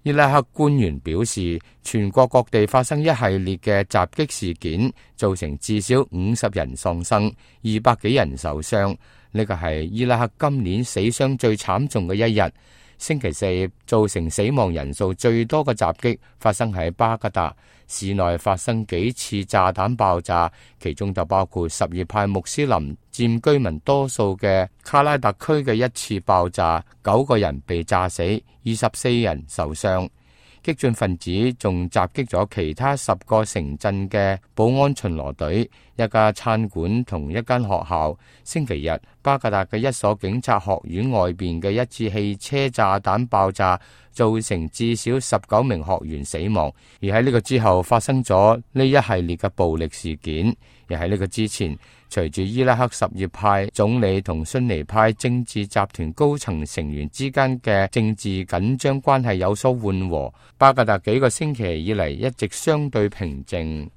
伊拉克官員表示，全國各地發生一系列嘅襲擊事件，造成至少50人喪生，200幾人受傷。呢個係伊拉克今年死傷最慘重嘅一日。星期四造成死亡人數最多嘅襲擊發生喺巴格達市內，發生幾次炸彈爆炸，其中就包括什葉派穆斯林佔居民多數嘅卡拉特區嘅一次爆炸，9個人被炸死，24人受傷。激進分子仲襲擊咗其他10個城鎮嘅保安巡邏隊、一家餐館同一間學校。星期日，巴格達嘅一所警察學院外邊嘅一次汽車炸彈爆炸，造成至少19名學員死亡。而喺呢個之後發生咗呢一系列嘅暴力事件。而喺呢個之前，隨住伊拉克什葉派總理同遜尼派政治集團高層成員之間嘅政治緊張關係有所緩和，巴格達幾個星期以嚟一直相對平靜。